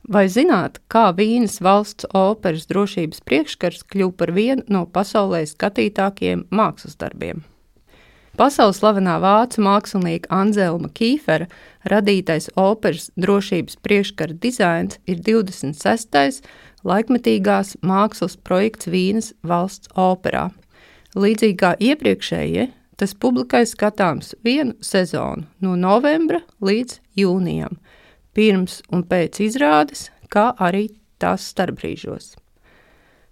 Vai zināt, kā Vīnes valsts operas drošības priekškars kļuva par vienu no pasaulē skatītākajiem mākslas darbiem? Pasaules slavenā vācu mākslinieka Anzelma Kīfera radītais operas drošības priekškara dizains ir 26. laikmetīgās mākslas projekts Vīnes valsts operā. Līdzīgi kā iepriekšējie, tas publikai skatāms vienu sezonu no novembra līdz jūnijam, pirms un pēc izrādes, kā arī tās starpbrīžos.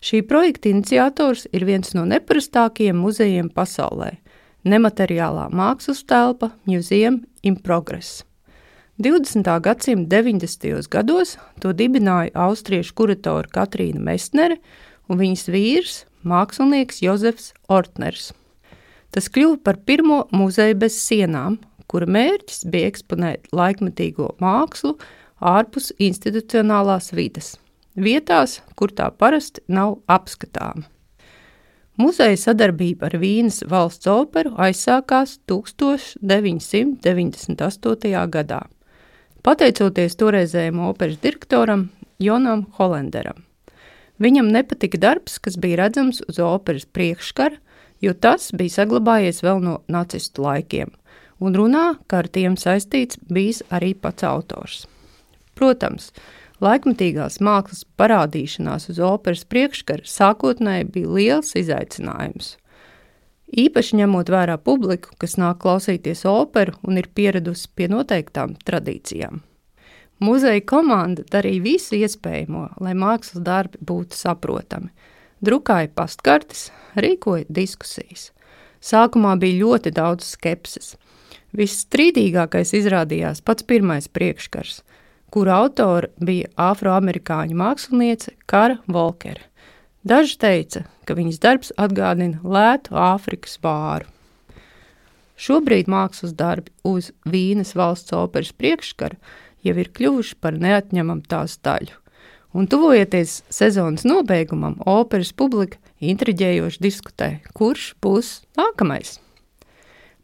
Šī projekta iniciators ir viens no neparastākajiem muzejiem pasaulē – nemateriālā mākslas telpa Museum in Progress. 20. gadsimta 90. gados to dibināja austriešu kuratora Katrīna Mestnere un viņas vīrs, mākslinieks Jozefs Ortners. Tas kļuva par pirmo muzeju bez sienām, kura mērķis bija eksponēt laikmetīgo mākslu ārpus institucionālās vides, vietās, kur tā parasti nav apskatāma. Muzeja sadarbība ar Vīnes valsts operu aizsākās 1998. gadā, pateicoties toreizējam operas direktoram Jonam Hollenderam. Viņam nepatika darbs, kas bija redzams uz operas priekškara, jo tas bija saglabājies vēl no nacistu laikiem, un runā, ka ar tiem saistīts bijis arī pats autors. Protams, laikmetīgās mākslas parādīšanās uz operas priekškara sākotnēji bija liels izaicinājums. Īpaši ņemot vērā publiku, kas nāk klausīties operu un ir pieradusi pie noteiktām tradīcijām. Muzeja komanda darīja visu iespējamo, lai mākslas darbi būtu saprotami. Drukāja pastkartes, rīkoja diskusijas. Sākumā bija ļoti daudz skepses. Visstrīdīgākais izrādījās pats pirmais priekškars, kura autora bija afroamerikāņu māksliniece Kara Volkere. Daži teica, ka viņas darbs atgādina lētu Āfrikas vāru. Šobrīd mākslas darbi uz Vīnes valsts operas priekškara jau ir kļuvuši par neatņemamu tās daļu. Un tuvojoties sezonas nobeigumam, operas publika intriģējoši diskutē, kurš būs nākamais.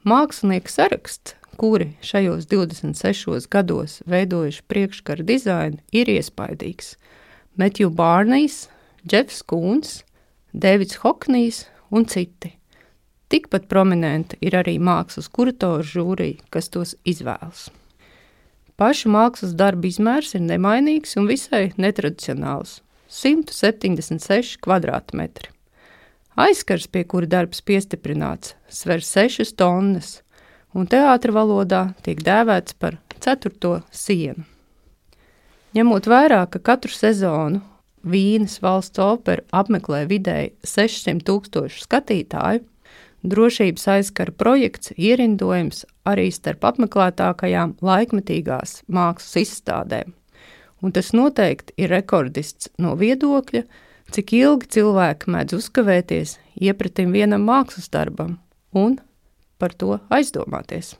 Mākslinieku saraksts, kuri šajos 26 gados veidojuši priekškara dizainu, ir iespaidīgs. Matthew Barnijs, Jeffs Kūns, Davids Hoknijs un citi. Tikpat prominenti ir arī mākslas kuratoru žūrija, kas tos izvēlas. Pašu mākslas darbu izmērs ir nemainīgs un visai netradicionāls – 176 kvadrātmetri. Aizskars, pie kura darbs piestiprināts, sver 6 tonnas, un teātra valodā tiek dēvēts par 4. sienu. Ņemot vērā, ka katru sezonu Vīnes valsts opera apmeklē vidēji 600,000 skatītāju, drošības aizskara projekts ierindojams arī starp apmeklētākajām laikmetīgās mākslas izstādēm, un tas noteikti ir rekordists no viedokļa, cik ilgi cilvēki mēdz uzkavēties iepratim vienam mākslas darbam un par to aizdomāties.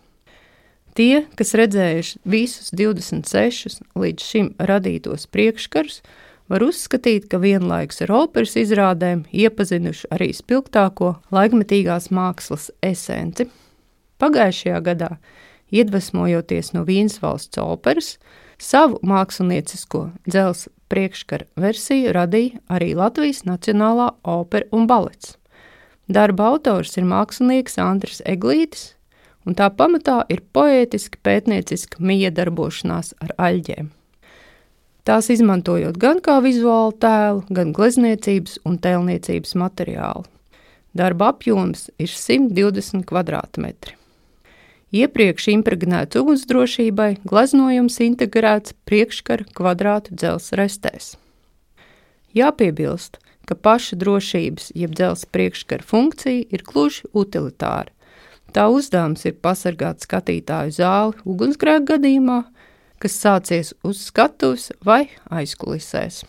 Tie, kas redzējuši visus 26 līdz šim radītos priekškarus, var uzskatīt, ka vienlaikus ar operas izrādēm iepazinuši arī spilgtāko laikmetīgās mākslas esenci. Pagājušajā gadā, iedvesmojoties no Vīnes valsts operas, savu māksliniecisko dzelzs priekškara versiju radīja arī Latvijas Nacionālā opera un balets. Darba autors ir mākslinieks Andris Eglītis, un tā pamatā ir poētiski pētnieciska miedarbošanās ar aļģēm. Tās izmantojot gan kā vizuālu tēlu, gan glezniecības un tēlniecības materiālu. Darba apjoms ir 120 kvadrātmetri. Iepriekš impregnēts ugunsdrošībai, gleznojums integrēts priekškara kvadrātu dzelzs restēs. Jāpiebilst, ka paša drošības jeb dzelzs priekškara funkcija ir gluži utilitāra. Tā uzdevums ir pasargāt skatītāju zāli ugunsgrēka gadījumā, kas sācies uz skatuves vai aizkulisēs.